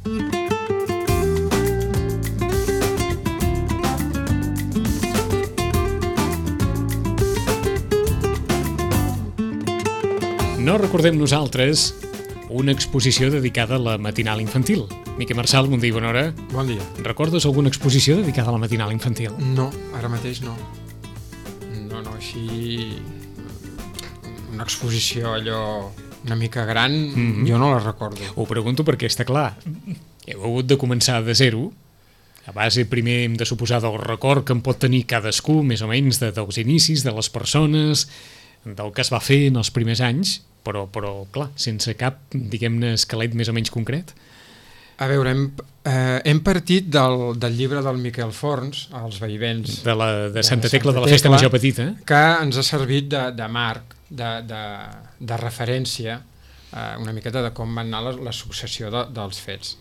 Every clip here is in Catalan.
No recordem nosaltres una exposició dedicada a la matinal infantil. Miquel Marçal, bon dia i bona hora. Bon dia. Recordes alguna exposició dedicada a la matinal infantil? No, ara mateix no. No, així... Una exposició allò una mica gran, jo no la recordo. Ho pregunto perquè està clar. Heu hagut de començar de zero. A base, primer, hem de suposar del record que en pot tenir cadascú, més o menys, dels inicis, de les persones, del que es va fer en els primers anys, però clar, sense cap, diguem-ne, esquelet més o menys concret. A veure, hem partit del llibre del Miquel Forns, Els veïvents de Santa Tecla, de la Festa Major Petita, que ens ha servit de marc, de referència, una miqueta de com va anar la successió dels fets.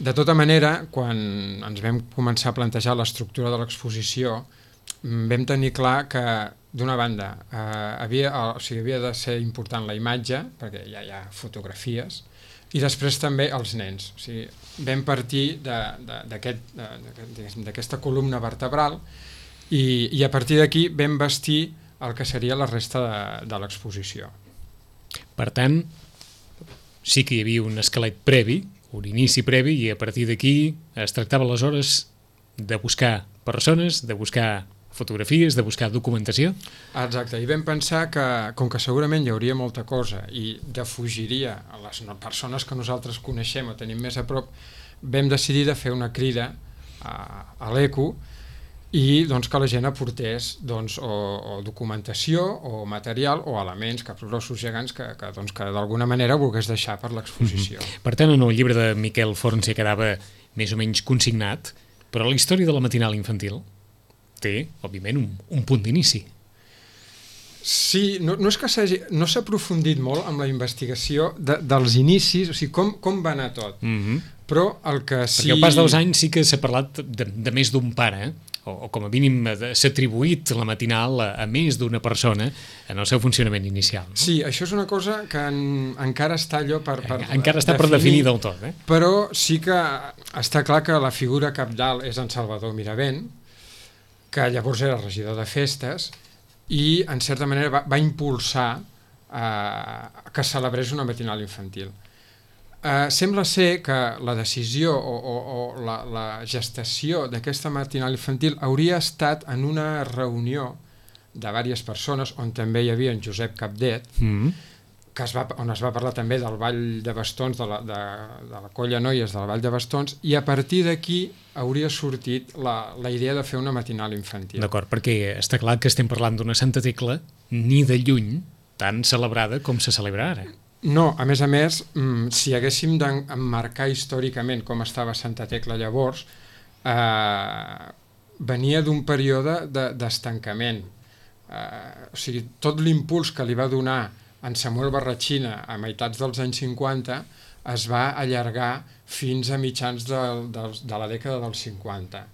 De tota manera, quan ens vam començar a plantejar l'estructura de l'exposició, vam tenir clar que, d'una banda, havia de ser important la imatge, perquè ja hi ha fotografies, i després també els nens. O sigui, vam partir d'aquesta columna vertebral i a partir d'aquí vam vestir el que seria la resta de l'exposició. Per tant, sí que hi havia un esquelet previ, un inici previ, i a partir d'aquí es tractava aleshores de buscar persones, de buscar fotografies, de buscar documentació. Exacte, i vam pensar que, com que segurament hi hauria molta cosa i defugiria a les persones que nosaltres coneixem o tenim més a prop, vam decidir de fer una crida a l'ECO i doncs, que la gent aportés o documentació o material o elements, caps grossos gegants que d'alguna manera volgués deixar per l'exposició. Per tant, en el llibre de Miquel Forns ja quedava més o menys consignat, però la història de la matinal infantil té, òbviament, un punt d'inici. Sí, no és que no s'ha aprofundit molt amb la investigació dels inicis, o sigui, com va anar tot. Però el que sí... Perquè al pas dels anys sí que s'ha parlat de més d'un pare, o com a mínim s'ha atribuït la matinal a més d'una persona en el seu funcionament inicial. Sí, això és una cosa que encara està allò per encara està per definir del tot. Però sí que està clar que la figura cabdal és en Salvador Miravent, que llavors era regidor de festes i, en certa manera, va impulsar que celebrés una matinal infantil. Sembla ser que la decisió o la gestació d'aquesta matinal infantil hauria estat en una reunió de diverses persones, on també hi havia en Josep Capdet, on es va parlar també del Ball de Bastons, de la colla Noies del Ball de Bastons, i a partir d'aquí hauria sortit la idea de fer una matinal infantil. D'acord, perquè està clar que estem parlant d'una Santa Tecla ni de lluny tan celebrada com se celebra ara. No, a més, si haguéssim d'emmarcar històricament com estava Santa Tecla llavors, venia d'un període d'estancament. O sigui, tot l'impuls que li va donar en Samuel Barratxina a meitats dels anys 50 es va allargar fins a mitjans de la dècada dels 50.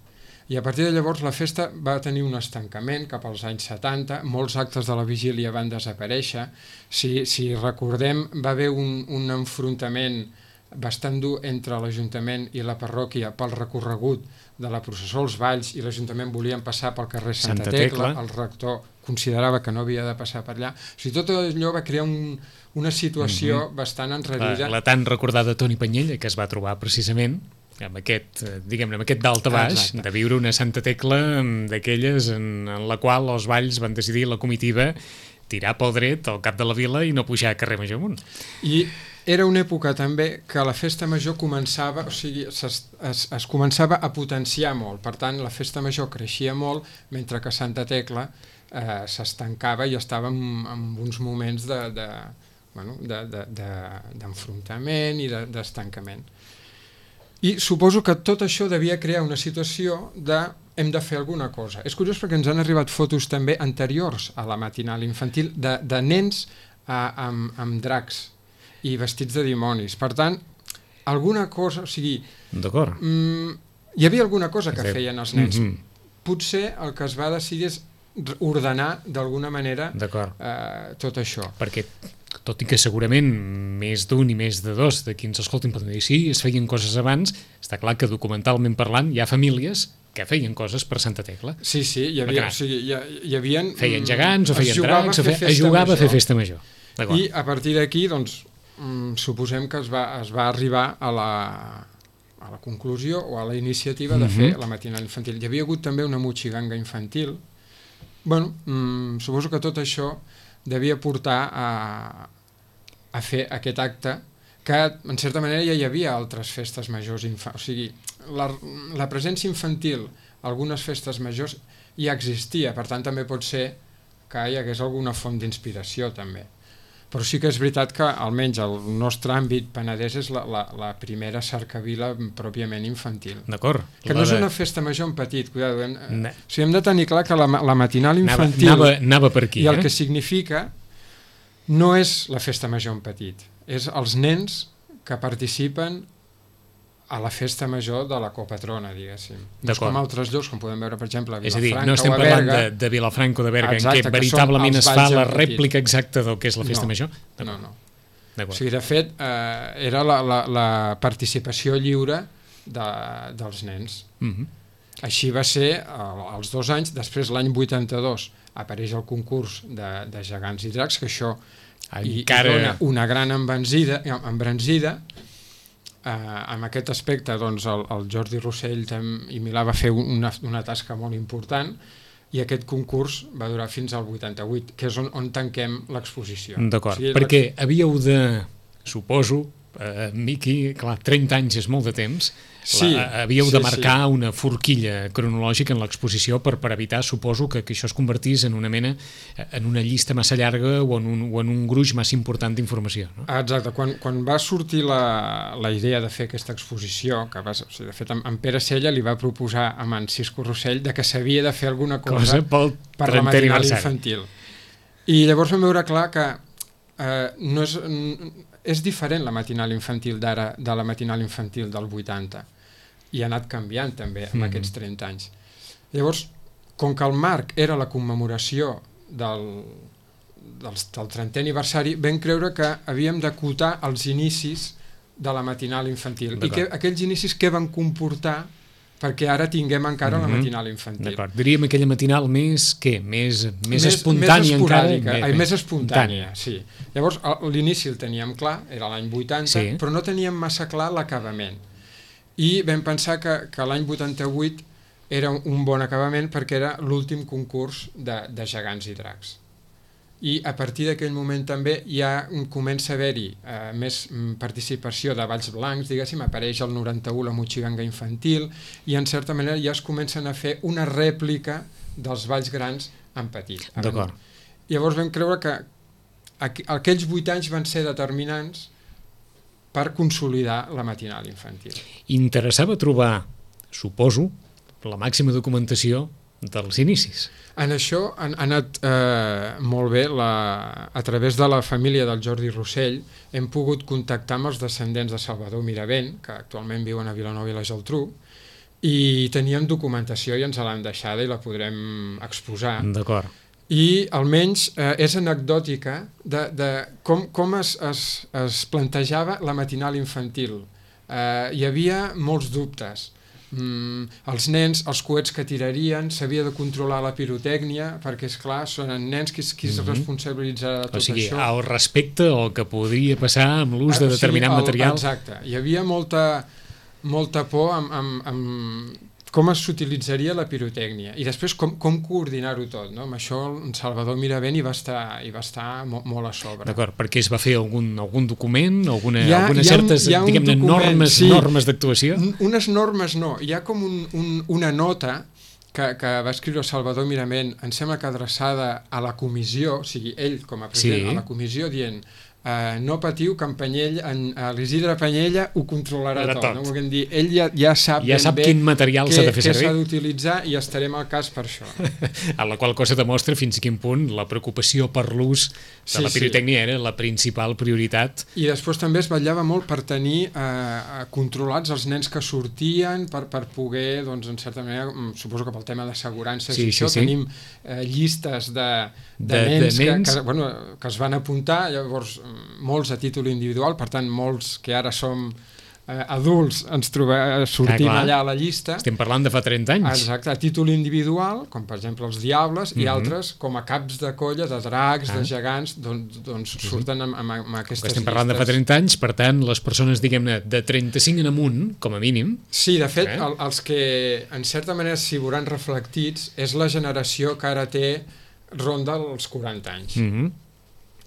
I a partir de llavors la festa va tenir un estancament cap als anys 70, molts actes de la vigília van desaparèixer. Si recordem, va haver un enfrontament bastant dur entre l'Ajuntament i la parròquia pel recorregut de la processó als Valls, i l'Ajuntament volien passar pel carrer Santa Tecla, el rector considerava que no havia de passar per allà. O sigui, tot allò va crear una situació bastant enrarida. La tan recordada Toni Panyella, que es va trobar precisament amb aquest, diguem-ne, amb aquest dalt a baix, de viure una Santa Tecla d'aquelles en la qual els Valls van decidir, la comitiva, tirar pel dret al cap de la vila i no pujar a carrer Major amunt. I era una època també que la festa major començava, o sigui, es començava a potenciar molt. Per tant, la festa major creixia molt, mentre que Santa Tecla s'estancava i estava en uns moments d'enfrontament i d'estancament. I suposo que tot això devia crear una situació de hem de fer alguna cosa. És curiós perquè ens han arribat fotos també anteriors a la matinal infantil de nens amb dracs i vestits de dimonis. Per tant, alguna cosa, o sigui... D'acord. Hi havia alguna cosa que feien els nens. Potser el que es va decidir és ordenar d'alguna manera tot això. Perquè tot i que segurament més d'un i més de dos de qui ens escoltin poden dir sí, es feien coses abans, està clar que documentalment parlant hi ha famílies que feien coses per Santa Tecla. Sí, hi havia... O sigui, hi havia feien gegants o feien dracs, es jugava a fer festa major. I a partir d'aquí, doncs, suposem que es va arribar a la conclusió o a la iniciativa de fer la matinal infantil. Hi havia hagut també una motxiganga infantil. Bueno, suposo que tot això devia portar a fer aquest acte que, en certa manera, ja hi havia altres festes majors. O sigui, la presència infantil a algunes festes majors ja existia, per tant, també pot ser que hi hagués alguna font d'inspiració, també. Però sí que és veritat que, almenys, el nostre àmbit Penedès és la primera cercavila pròpiament infantil. D'acord. Que no és una festa major en petit, cuidado. O sigui, hem de tenir clar que la matinal infantil anava per aquí, i el que significa no és la festa major en petit, és els nens que participen a la festa major de la copatrona, diguéssim. No és com altres llocs, com podem veure, per exemple, a Vilafranca o a Berga. És a dir, no estem parlant de Vilafranca o de Berga, en què veritablement es fa la rèplica exacta del que és la festa major? No. O sigui, de fet, era la participació lliure dels nens. Així va ser als 2 anys. Després, l'any 82, apareix el concurs de gegants i dracs, que això hi dona una gran embranzida. En aquest aspecte, doncs, el Jordi Rossell i Milà va fer una tasca molt important, i aquest concurs va durar fins al 88, que és on tanquem l'exposició. D'acord, perquè havíeu de, suposo, Miqui, clar, 30 anys és molt de temps, havíeu de marcar una forquilla cronològica en l'exposició per evitar, suposo, que això es convertís en una mena, en una llista massa llarga o en un gruix massa important d'informació. Exacte, quan va sortir la idea de fer aquesta exposició, que de fet en Pere Sella li va proposar a en Cisco Rossell que s'havia de fer alguna cosa per la matinal infantil. I llavors vam veure clar que no és diferent la matinal infantil d'ara de la matinal infantil del 80, i ha anat canviant també en aquests 30 anys. Llavors, com que el marc era la commemoració del 30è aniversari, vam creure que havíem d'acotar els inicis de la matinal infantil. I aquells inicis què van comportar perquè ara tinguem encara la matinal infantil. D'acord, diríem aquella matinal més espontània encara. Més espontània, sí. Llavors, l'inici el teníem clar, era l'any 80, però no teníem massa clar l'acabament. I vam pensar que l'any 88 era un bon acabament perquè era l'últim concurs de gegants i dracs. I a partir d'aquell moment també ja comença a haver-hi més participació de balls blancs, diguéssim, apareix el 91 la motxiganga infantil, i en certa manera ja es comencen a fer una rèplica dels balls grans en petit. D'acord. Llavors vam creure que aquells 8 anys van ser determinants per consolidar la matinal infantil. Interessava trobar, suposo, la màxima documentació dels inicis. En això ha anat molt bé, a través de la família del Jordi Rossell hem pogut contactar amb els descendents de Salvador Miravent, que actualment viuen a Vilanova i la Geltrú, i teníem documentació i ens l'han deixada i la podrem exposar. D'acord. I almenys és anecdòtica de com es plantejava la matinal infantil. Hi havia molts dubtes. Els nens, els coets que tirarien, s'havia de controlar la pirotècnia, perquè, esclar, són nens qui es responsabilitzarà de tot això. O sigui, el respecte al que podria passar amb l'ús de determinat material. Exacte. Hi havia molta por amb com s'utilitzaria la pirotècnia i després com coordinar-ho tot, no? Amb això en Salvador Miravent hi va estar molt a sobre. D'acord, perquè es va fer algun document, algunes certes, diguem-ne, normes d'actuació? Unes normes no, hi ha com una nota que va escriure Salvador Miravent, em sembla que adreçada a la comissió, o sigui, ell com a president a la comissió, dient no patiu, que l'Isidre Panyella ho controlarà tot. No? Volguem dir, ell ja sap quin material s'ha de fer servir, què s'ha d'utilitzar, i estarem al cas per això. A la qual cosa demostra fins a quin punt la preocupació per l'ús de la pirotècnia era la principal prioritat. I després també es vetllava molt per tenir controlats els nens que sortien, per poder, doncs, en certa manera, suposo que pel tema d'assegurances tenim llistes de nens que es van apuntar, llavors molts a títol individual, per tant molts que ara som adults ens sortim allà a la llista. Estem parlant de fa 30 anys. Exacte, a títol individual, com per exemple els Diables, i altres com a caps de colla, de dracs, de gegants, doncs surten amb aquestes llistes. Estem parlant de fa 30 anys, per tant, les persones, diguem-ne, de 35 en amunt, com a mínim. Sí, de fet, els que en certa manera s'hi veuran reflectits és la generació que ara ronda els 40 anys,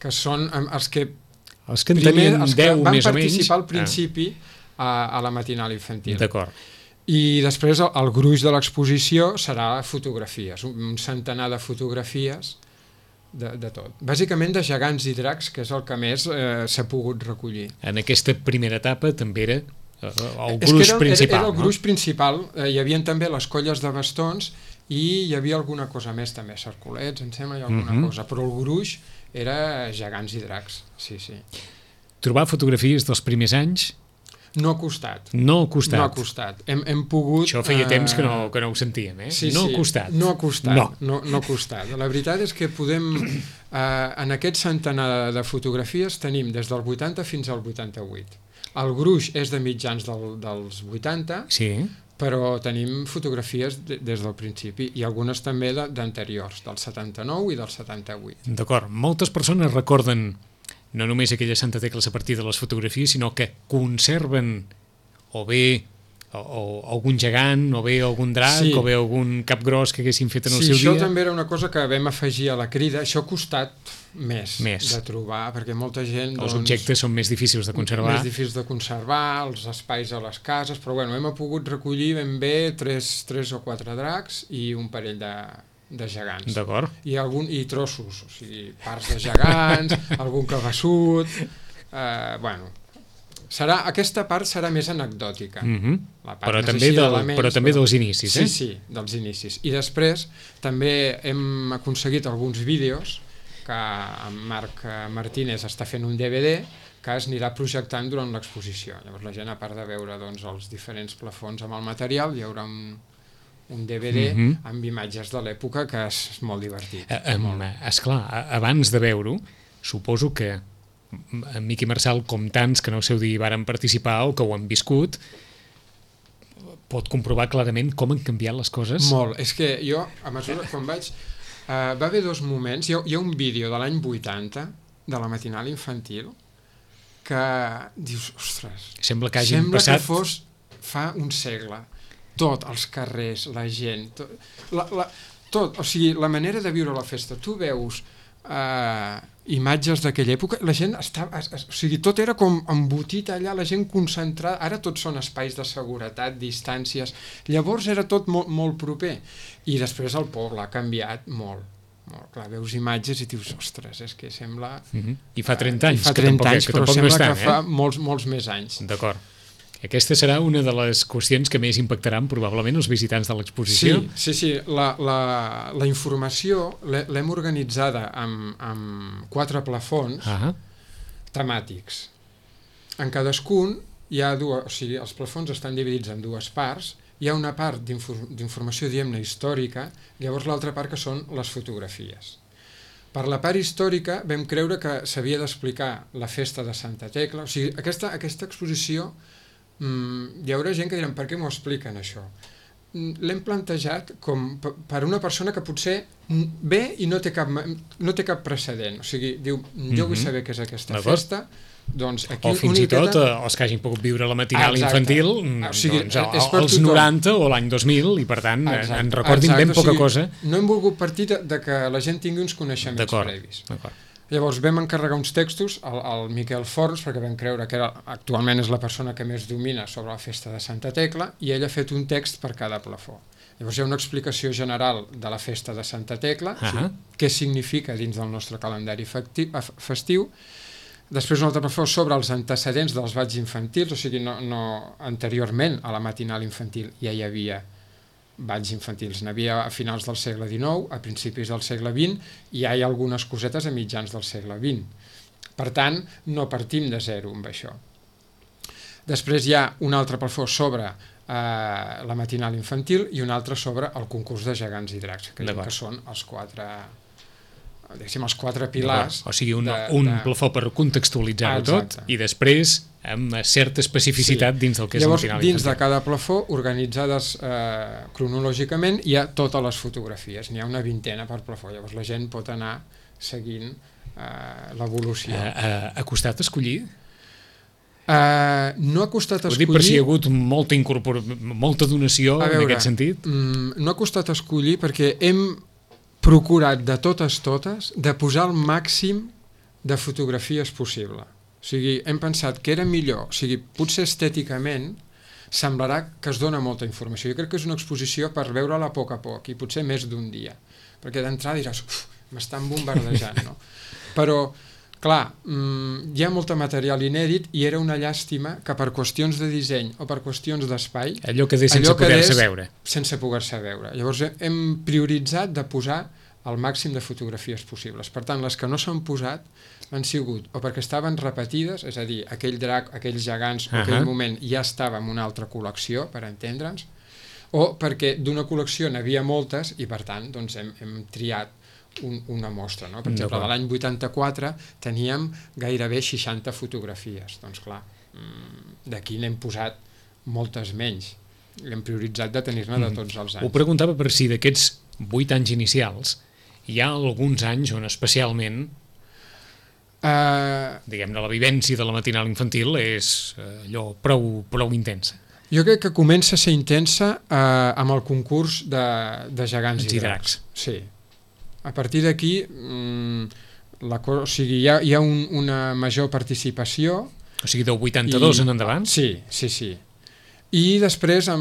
que són els que en tenien 10 més o menys van participar al principi a la matinal infantil. D'acord. I després el gruix de l'exposició serà fotografies, un centenar de fotografies de tot. Bàsicament de gegants i dracs, que és el que més s'ha pogut recollir. En aquesta primera etapa també era el gruix principal. Era el gruix principal. Hi havia també les colles de bastons i hi havia alguna cosa més també, cercolets, em sembla, i alguna cosa, però el gruix era gegants i dracs, sí. Trobar fotografies dels primers anys? No ha costat. No ha costat. No ha costat. Hem pogut... Això feia temps que no ho sentíem, Sí, no ha costat. No ha costat. No ha costat. La veritat és que podem... en aquest centenar de fotografies tenim des del 80 fins al 88. El gruix és de mitjans dels 80, però tenim fotografies des del principi i algunes també d'anteriors, del 79 i del 78. D'acord. Moltes persones recorden no només aquelles Santa Tecles a partir de les fotografies, sinó que conserven o bé algun gegant, o bé algun drac, o bé algun cap gros que haguessin fet en el seu dia. Sí, això també era una cosa que vam afegir a la crida. Això ha costat més de trobar, perquè molta gent... Els objectes són més difícils de conservar. Més difícils de conservar, els espais a les cases, però bueno, hem pogut recollir ben bé 3 o 4 dracs i un parell de gegants. D'acord. I trossos, o sigui, parts de gegants, algun cabeçut... aquesta part serà més anecdòtica. Però també dels inicis, Sí, dels inicis. I després també hem aconseguit alguns vídeos que en Marc Martínez està fent un DVD que es anirà projectant durant l'exposició. Llavors la gent, a part de veure els diferents plafons amb el material, hi haurà un DVD amb imatges de l'època que és molt divertit. Esclar, abans de veure-ho, suposo que en Miqui Marçal, com tants que en el seu dia varen participar o que ho han viscut, pot comprovar clarament com han canviat les coses. Molt. És que jo, a mesura quan vaig... va haver 2 moments. Hi ha un vídeo de l'any 80 de la matinal infantil que dius, ostres, sembla que passat... que fos fa un segle. Tot, els carrers, la gent, tot, o sigui, la manera de viure la festa. Tu veus imatges d'aquella època, la gent estava, o sigui, tot era com embotit allà, la gent concentrada. Ara tots són espais de seguretat, distàncies, llavors era tot molt proper, i després el poble ha canviat molt. Clar, veus imatges i dius, ostres, és que sembla... I fa 30 anys, però sembla que fa molts més anys. D'acord. Aquesta serà una de les qüestions que més impactaran probablement els visitants de l'exposició. Sí. La informació l'hem organitzada amb 4 plafons temàtics. En cadascun hi ha o sigui, els plafons estan dividits en 2 parts. Hi ha una part d'informació, diguem-ne, històrica, llavors l'altra part que són les fotografies. Per la part històrica vam creure que s'havia d'explicar la festa de Santa Tecla. O sigui, aquesta exposició... hi haurà gent que diran, per què m'ho expliquen això? L'hem plantejat com per una persona que potser ve i no té cap precedent, o sigui, diu, jo vull saber què és aquesta festa, doncs aquí o fins i tot els que hagin pogut viure la matinal infantil, els 90 o l'any 2000, i per tant en recordin ben poca cosa. No hem volgut partir de que la gent tingui uns coneixements previs. Llavors vam encarregar uns textos al Miquel Forns, perquè vam creure que actualment és la persona que més domina sobre la festa de Santa Tecla, i ell ha fet un text per cada plafó. Llavors hi ha una explicació general de la festa de Santa Tecla, què significa dins del nostre calendari festiu. Després un altre plafó sobre els antecedents dels balls infantils, o sigui, no anteriorment a la matinal infantil ja hi havia balls infantils. N'havia a finals del segle XIX, a principis del segle XX, i ja hi ha algunes cosetes a mitjans del segle XX. Per tant, no partim de zero amb això. Després hi ha un altre plafó sobre la matinal infantil i un altre sobre el concurs de gegants i dracs, que són els quatre pilars. O sigui, un plafó per contextualitzar-ho tot i després amb certa especificitat dins del que és la matinal infantil. Dins de cada plafó, organitzades cronològicament, hi ha totes les fotografies. N'hi ha una vintena per plafó. Llavors la gent pot anar seguint l'evolució. Ha costat escollir? No ha costat escollir... Ho dic per si hi ha hagut molta donació en aquest sentit. No ha costat escollir perquè hem procurat de totes de posar el màxim de fotografies possible. O sigui, hem pensat que era millor, o sigui, potser estèticament semblarà que es dona molta informació. Jo crec que és una exposició per veure-la a poc a poc i potser més d'un dia, perquè d'entrada diràs, m'estan bombardejant, no? Però, clar, hi ha molt material inèdit i era una llàstima que per qüestions de disseny o per qüestions d'espai... Allò quedés sense poder-se veure. Sense poder-se veure. Llavors hem prioritzat de posar el màxim de fotografies possibles. Per tant, les que no s'han posat han sigut o perquè estaven repetides, és a dir, aquell drac, aquells gegants, en aquell moment ja estava en una altra col·lecció, per entendre'ns, o perquè d'una col·lecció n'havia moltes i, per tant, doncs, hem triat una mostra. No? Per exemple, de l'any 84 teníem gairebé 60 fotografies. Doncs clar, d'aquí n'hem posat moltes menys. Hem prioritzat de tenir-ne de tots els anys. Ho preguntava per si d'aquests 8 anys inicials hi ha alguns anys on especialment diguem-ne la vivència de la matinal infantil és allò prou intensa. Jo crec que comença a ser intensa amb el concurs de gegants i dracs. Sí. A partir d'aquí o sigui, hi ha una major participació. O sigui, del 82 en endavant? Sí. I després, o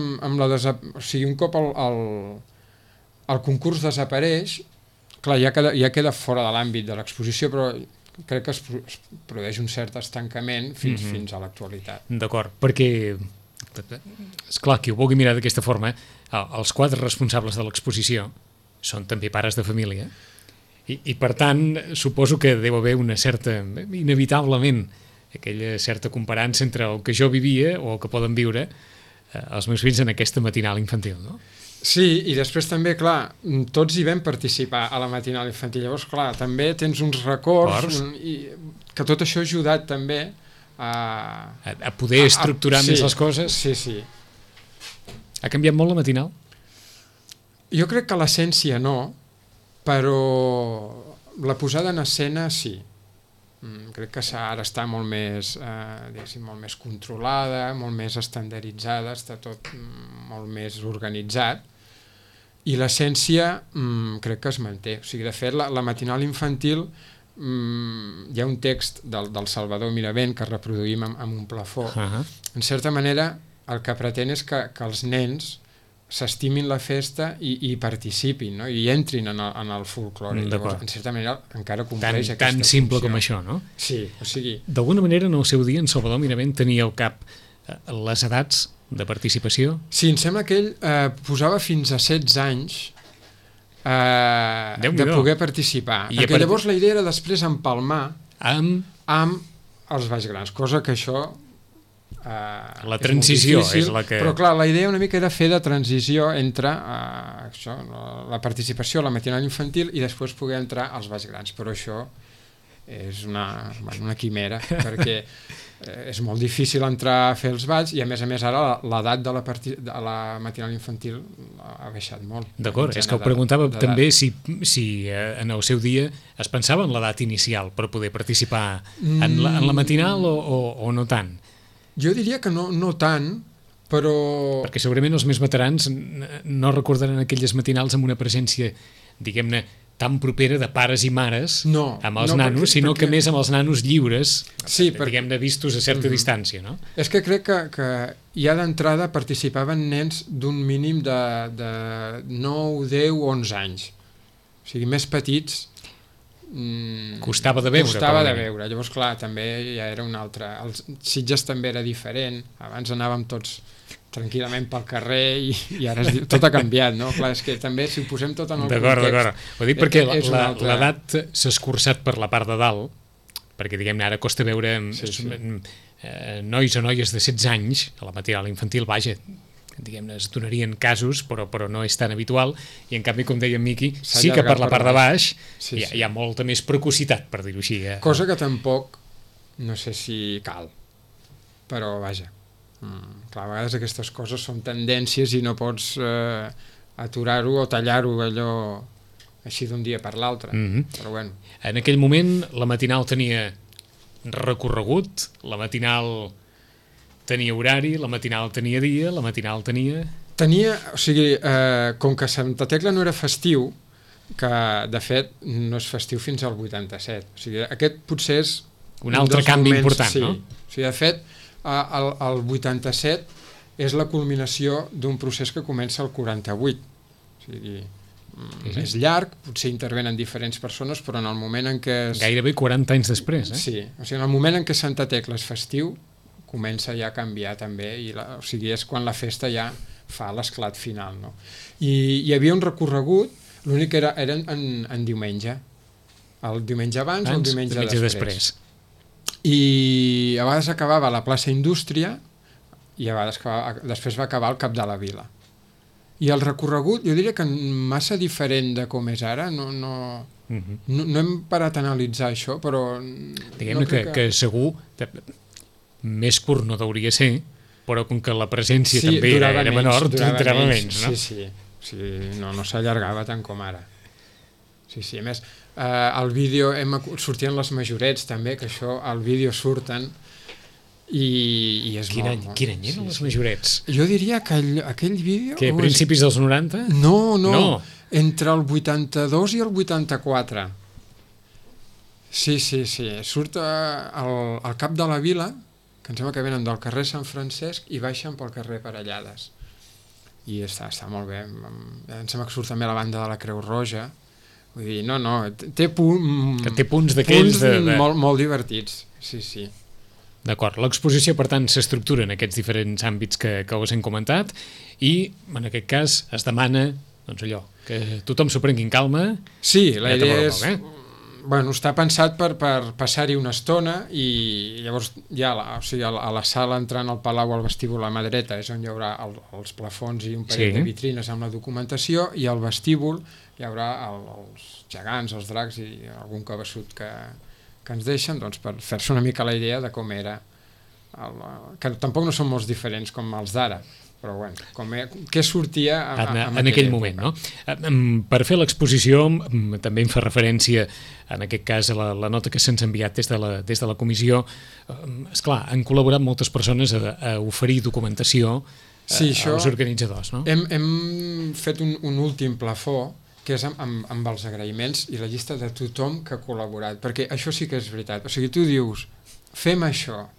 sigui, un cop el concurs desapareix, clar, ja queda fora de l'àmbit de l'exposició, però crec que es produeix un cert estancament fins a l'actualitat. D'acord, perquè, esclar, qui ho vulgui mirar d'aquesta forma, els 4 responsables de l'exposició són també pares de família i per tant suposo que deu haver una certa, inevitablement, aquella certa comparança entre el que jo vivia o el que poden viure els meus fills en aquesta matinal infantil, no? Sí, i després també, clar, tots hi vam participar a la matinal infantil, llavors, clar, també tens uns records que tot això ha ajudat també a poder estructurar més les coses. Sí. Ha canviat molt la matinal? Jo crec que l'essència no, però la posada en escena sí. Crec que ara està molt més, molt més controlada, molt més estandarditzada, està tot molt més organitzat i l'essència crec que es manté. O sigui, de fet, la matinal infantil hi ha un text del Salvador Miravent que reproduïm amb un plafó. En certa manera, el que pretén és que els nens s'estimin la festa i participin, no? I entrin en el folklore. Llavors, en certa manera, encara compleix aquesta funció. Tan simple com això, no? Sí, o sigui... D'alguna manera, en el seu dia, en Salvador Miravent tenia al cap les edats de participació? Sí, em sembla que ell posava fins a 16 anys de poder participar. Perquè llavors la idea era després empalmar amb els Valls Grans, cosa que això... la transició és la que... Però clar, la idea una mica era fer de transició entre això, la participació a la matinal infantil i després poder entrar als Valls Grans, però això és una quimera perquè és molt difícil entrar a fer els balls i a més ara l'edat de la matinal infantil ha baixat molt. D'acord, és que ho preguntava també si en el seu dia es pensava en l'edat inicial per poder participar en la matinal o no tant. Jo diria que no tant, però... Perquè segurament els més veterans no recordaran aquelles matinals amb una presència, diguem-ne, tan propera de pares i mares amb els nanos, sinó que més amb els nanos lliures, diguem-ne, vistos a certa distància, no? És que crec que ja d'entrada participaven nens d'un mínim de 9, 10, 11 anys. O sigui, més petits Costava de veure. Costava de veure. Llavors, clar, també ja era un altre... Els Sitges també era diferent. Abans anàvem tots tranquil·lament pel carrer i ara tot ha canviat, no? Clar, és que també si ho posem tot en el context... D'acord. Ho dic perquè l'edat s'ha escurçat per la part de dalt, perquè diguem-ne ara costa veure nois o noies de 16 anys a la matinal infantil, vaja, diguem-ne, es donarien casos, però no és tan habitual, i en canvi, com deia en Miqui, sí que per la part de baix hi ha molta més precocitat, per dir-ho així. Cosa que tampoc, no sé si cal, però vaja, clar, a vegades aquestes coses són tendències i no pots aturar-ho o tallar-ho allò així d'un dia per l'altre, però bueno. En aquell moment la matinal tenia recorregut, la matinal tenia horari, la matinal tenia dia, la matinal tenia... O sigui, com que Santa Tecla no era festiu, que de fet no és festiu fins al 87, o sigui, aquest potser és... Un altre canvi important, no? O sigui, de fet, el 87 és la culminació d'un procés que comença al 48, o sigui... És llarg, potser intervenen diferents persones, però en el moment en què... Gairebé 40 anys després, Sí, o sigui, en el moment en què Santa Tecla és festiu, comença ja a canviar també, o sigui, és quan la festa ja fa l'esclat final, no? I hi havia un recorregut, l'únic que era en diumenge, el diumenge abans o el diumenge després. I a vegades acabava a la plaça Indústria i a vegades després va acabar al Cap de la Vila. I el recorregut, jo diria que massa diferent de com és ara, no hem parat a analitzar això, però... Diguem-ne que segur, més curt no hauria ser, però com que la presència també era menor, durava menys, no? Sí, no s'allargava tant com ara. Sí, a més, al vídeo sortien les majorets també, que això al vídeo surten, i és Quin any eren les majorets? Jo diria que aquell vídeo... Que a principis dels 90? No, entre el 82 i el 84. Sí, surt al Cap de la Vila, que em sembla que venen del carrer Sant Francesc i baixen pel carrer Parellades. I està molt bé. Em sembla que surt també la banda de la Creu Roja. Vull dir, té punts d'aquells molt divertits. Sí. D'acord, l'exposició per tant s'estructura en aquests diferents àmbits que us hem comentat i en aquest cas es demana doncs allò, que tothom s'ho prengui en calma. Sí, la idea és... està pensat per passar-hi una estona i llavors ja a la sala entrant al Palau al vestíbul a mà dreta és on hi haurà els plafons i un parell de vitrines amb la documentació i al vestíbul hi haurà els gegants, els dracs i algun cabeçut que ens deixen per fer-se una mica la idea de com era, que tampoc no són molt diferents com els d'ara, però què sortia en aquell moment, no? Per fer l'exposició també em fa referència en aquest cas a la nota que se'ns ha enviat des de la comissió. Esclar, han col·laborat moltes persones a oferir documentació als organitzadors, no? Hem fet un últim plafó que és amb els agraïments i la llista de tothom que ha col·laborat, perquè això sí que és veritat. O sigui, tu dius, fem això,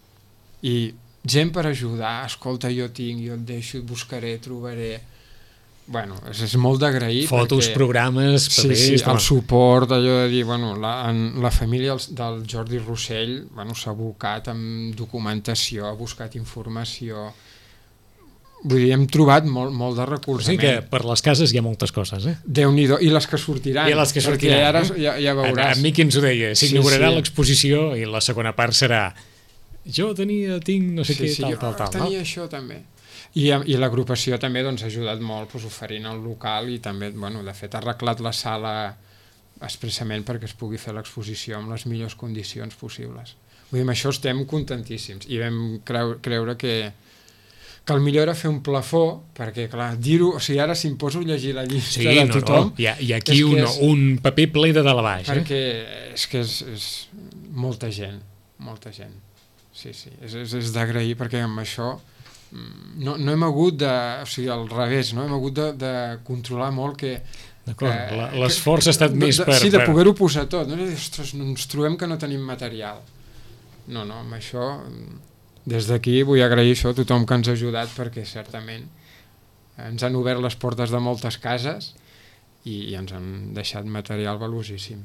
i gent per ajudar, escolta, jo tinc, jo et deixo, et buscaré, trobaré... és molt d'agrair. Fotos, programes, papers... Sí, el suport, allò de dir, la família del Jordi Rossell s'ha abocat amb documentació, ha buscat informació... Vull dir, hem trobat molt de recolzament. Sí que per les cases hi ha moltes coses, Déu-n'hi-do, i les que sortiran. Perquè ara ja veuràs. A mi qui ens ho deia, s'inaugurarà l'exposició i la segona part serà tinc no sé què, tal. Tenia això també. I l'agrupació també ha ajudat molt oferint el local i també, de fet, ha arreglat la sala expressament perquè es pugui fer l'exposició amb les millors condicions possibles. Vull dir, amb això estem contentíssims i vam creure que el millor era fer un plafó, perquè, clar, dir-ho... O sigui, ara si em poso a llegir la llista de tothom... Hi ha aquí un paper ple de dalt a baix. Perquè és que és molta gent. Sí, és d'agrair, perquè amb això no hem hagut de... O sigui, al revés, no? Hem hagut de controlar molt que... D'acord, l'esforç ha estat més per... Sí, de poder-ho posar tot. Ostres, ens trobem que no tenim material. No, amb això... Des d'aquí vull agrair això a tothom que ens ha ajudat perquè certament ens han obert les portes de moltes cases i ens han deixat material valuosíssim.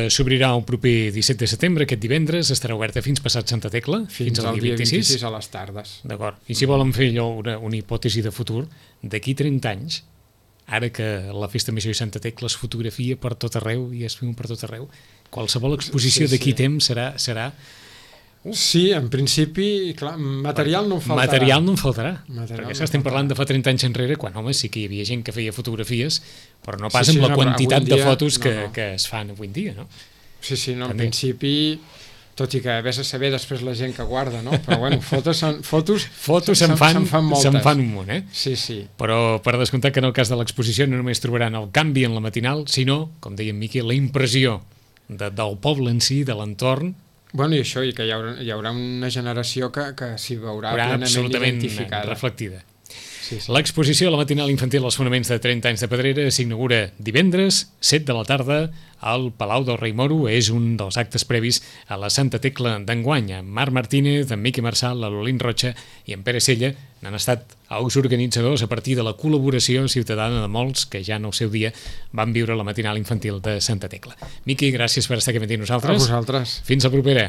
S'obrirà el proper 17 de setembre, aquest divendres, estarà oberta fins passat Santa Tecla, Fins al dia 26 a les tardes. D'acord. I si volen fer allò una hipòtesi de futur, d'aquí 30 anys, ara que la Festa Major i Santa Tecla es fotografia per tot arreu i es viu per tot arreu, qualsevol exposició d'aquí temps serà... Sí, en principi, clar, material no en faltarà. Material no en faltarà, Material perquè no estem faltarà. parlant de fa 30 anys enrere, quan, home, sí que hi havia gent que feia fotografies, però no pas Sí, amb la no, però quantitat avui de dia, fotos no. que es fan avui en dia, no? Sí, no, en També. principi, tot i que vés a saber després la gent que guarda, no? Però bueno, fotos se'n fan moltes. un munt, eh? Sí. Però per descomptar que en el cas de l'exposició no només trobaran el canvi en la matinal, sinó, com deia en Miqui, la impressió del poble en si, de l'entorn, Bueno, i això, i que hi haurà una generació que s'hi veurà plenament absolutament identificada. reflectida. Sí. L'exposició a la matinal infantil als fonaments de 30 anys de Pedrera s'inaugura divendres, 7 de la tarda, al Palau del Rei Moro. És un dels actes previs a la Santa Tecla d'enguany. En Marc Martínez, en Miqui Marçal, l'Olín Rocha i en Pere Sella n'han estat els organitzadors a partir de la col·laboració ciutadana de molts que ja en el seu dia van viure la matinal infantil de Santa Tecla. Miqui, gràcies per estar aquí amb nosaltres. A vosaltres. Fins la propera.